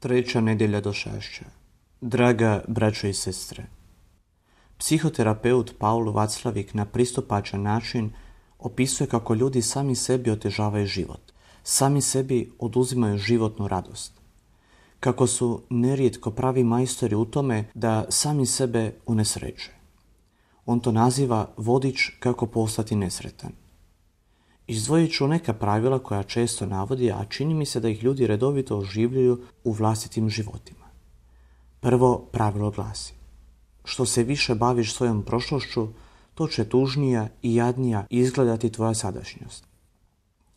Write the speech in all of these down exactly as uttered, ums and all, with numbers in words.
Treća nedjelja došašća. Draga braćo i sestre, psihoterapeut Paul Vaclavik na pristupačan način opisuje kako ljudi sami sebi otežavaju život, sami sebi oduzimaju životnu radost. Kako su nerijetko pravi majstori u tome da sami sebe unesreće. On to naziva vodič kako postati nesretan. Izdvojit ću neka pravila koja često navodi, a čini mi se da ih ljudi redovito oživljuju u vlastitim životima. Prvo pravilo glasi: što se više baviš svojom prošlošću, to će tužnija i jadnija izgledati tvoja sadašnjost.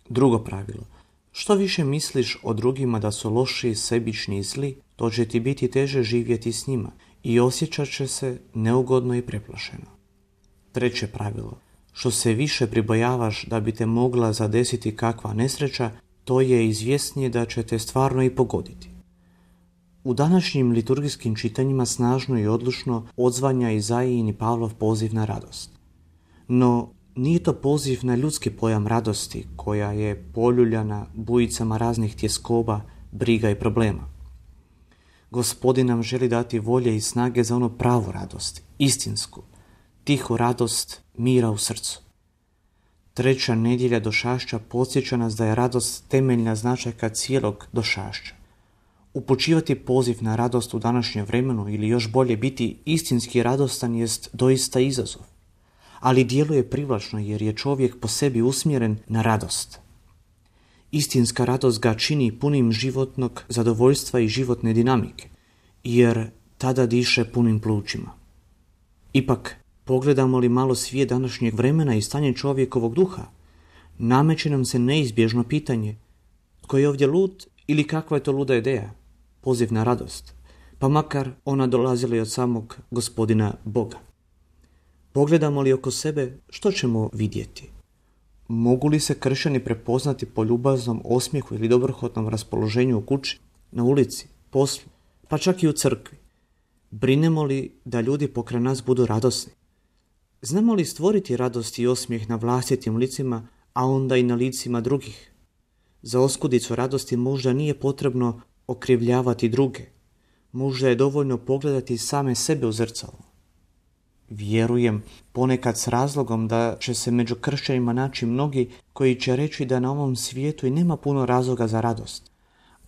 Drugo pravilo: što više misliš o drugima da su loši, sebični i zli, to će ti biti teže živjeti s njima i osjećat će se neugodno i preplašeno. Treće pravilo: što se više pribojavaš da bi te mogla zadesiti kakva nesreća, to je izvjesnije da će te stvarno i pogoditi. U današnjim liturgijskim čitanjima snažno i odlučno odzvanja Izaijin i Pavlov poziv na radost. No, nije to poziv na ljudski pojam radosti, koja je poljuljana bujicama raznih tjeskoba, briga i problema. Gospodin nam želi dati volje i snage za ono pravu radost, istinsku, tihu radost mira u srcu. Treća nedjelja došašća podsjeća nas da je radost temeljna značajka cijelog došašća. Upućivati poziv na radost u današnjem vremenu ili još bolje biti istinski radostan jest doista izazov. Ali djeluje privlačno jer je čovjek po sebi usmjeren na radost. Istinska radost ga čini punim životnog zadovoljstva i životne dinamike, jer tada diše punim plućima. Ipak, pogledamo li malo svijet današnjeg vremena i stanje čovjekovog duha, nameće nam se neizbježno pitanje: tko je ovdje lud ili kakva je to luda ideja? Poziv na radost, pa makar ona dolazila i od samog Gospodina Boga. Pogledamo li oko sebe, što ćemo vidjeti? Mogu li se kršćani prepoznati po ljubaznom osmijehu ili dobrohotnom raspoloženju u kući, na ulici, poslu, pa čak i u crkvi? Brinemo li da ljudi pokraj nas budu radosni? Znamo li stvoriti radost i osmijeh na vlastitim licima, a onda i na licima drugih? Za oskudicu radosti možda nije potrebno okrivljavati druge. Možda je dovoljno pogledati same sebe u zrcalo. Vjerujem ponekad s razlogom da će se među kršćanima naći mnogi koji će reći da na ovom svijetu i nema puno razloga za radost.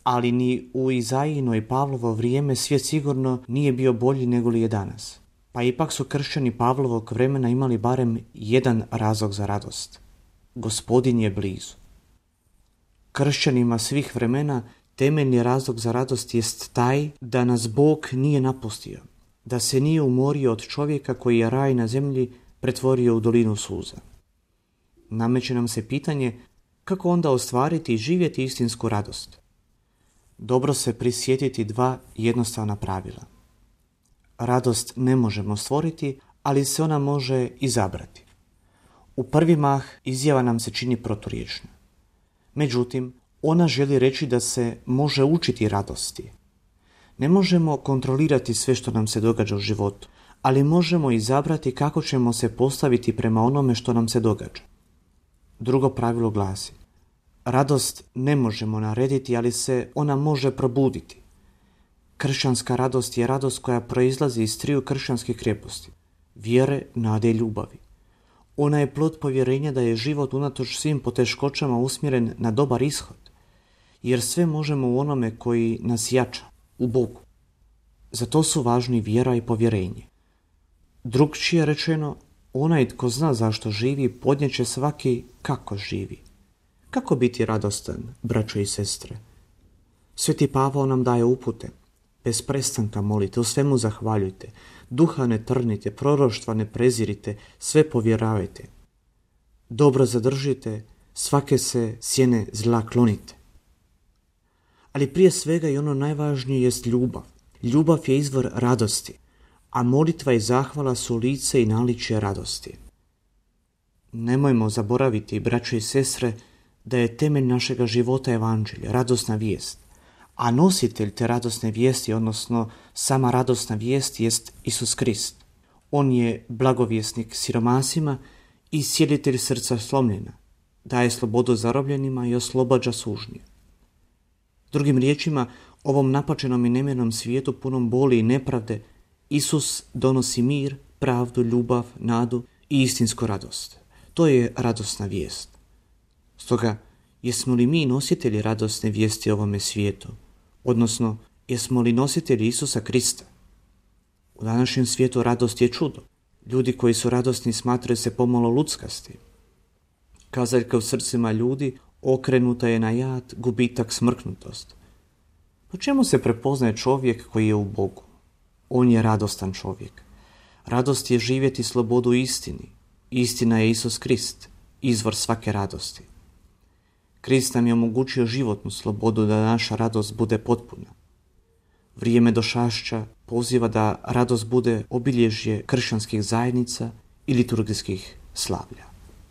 Ali ni u Izaijino i Pavlovo vrijeme svijet sigurno nije bio bolji nego li je danas. Pa ipak su kršćani Pavlovog vremena imali barem jedan razlog za radost. Gospodin je blizu. Kršćanima svih vremena temeljni razlog za radost jest taj da nas Bog nije napustio, da se nije umorio od čovjeka koji je raj na zemlji pretvorio u dolinu suza. Nameće nam se pitanje kako onda ostvariti i živjeti istinsku radost. Dobro se prisjetiti dva jednostavna pravila. Radost ne možemo stvoriti, ali se ona može izabrati. U prvi mah izjava nam se čini proturječna. Međutim, ona želi reći da se može učiti radosti. Ne možemo kontrolirati sve što nam se događa u životu, ali možemo izabrati kako ćemo se postaviti prema onome što nam se događa. Drugo pravilo glasi: radost ne možemo narediti, ali se ona može probuditi. Kršćanska radost je radost koja proizlazi iz triju kršćanskih krijeposti: vjere, nade i ljubavi. Ona je plod povjerenja da je život unatoč svim poteškoćama usmjeren na dobar ishod, jer sve možemo u onome koji nas jača, u Bogu. Zato su važni vjera i povjerenje. Drugčije rečeno, onaj tko zna zašto živi, podnijeće svaki kako živi. Kako biti radostan, braćo i sestre? Sveti Pavao nam daje upute. Bez prestanka molite, u svemu zahvaljujte, duha ne trnite, proroštva ne prezirite, sve povjeravajte. Dobro zadržite, svake se sjene zla klonite. Ali prije svega i ono najvažnije jest ljubav. Ljubav je izvor radosti, a molitva i zahvala su lice i naličje radosti. Nemojmo zaboraviti, braćo i sestre, da je temelj našega života evanđelje, radosna vijest. A nositelj te radosne vijesti, odnosno sama radosna vijest, jest Isus Krist. On je blagovjesnik siromasima i sjelitelj srca slomljena, daje slobodu zarobljenima i oslobađa sužnje. Drugim riječima, Ovom napačenom i nemirnom svijetu punom boli i nepravde Isus donosi mir, pravdu, ljubav, nadu i istinsku radost. To je radosna vijest. Stoga, jesmo li mi nositelji radosne vijesti ovome svijetu? Odnosno, jesmo li nositelji Isusa Krista? U današnjem svijetu radost je čudo. Ljudi koji su radosni smatraju se pomalo luckasti. Kazaljka u srcima ljudi okrenuta je na jad, gubitak, smrknutost. Po čemu se prepoznaje čovjek koji je u Bogu? On je radostan čovjek. Radost je živjeti slobodu u istini. Istina je Isus Krist, izvor svake radosti. Krist nam je omogućio životnu slobodu da naša radost bude potpuna. Vrijeme došašća poziva da radost bude obilježje kršćanskih zajednica i liturgijskih slavlja.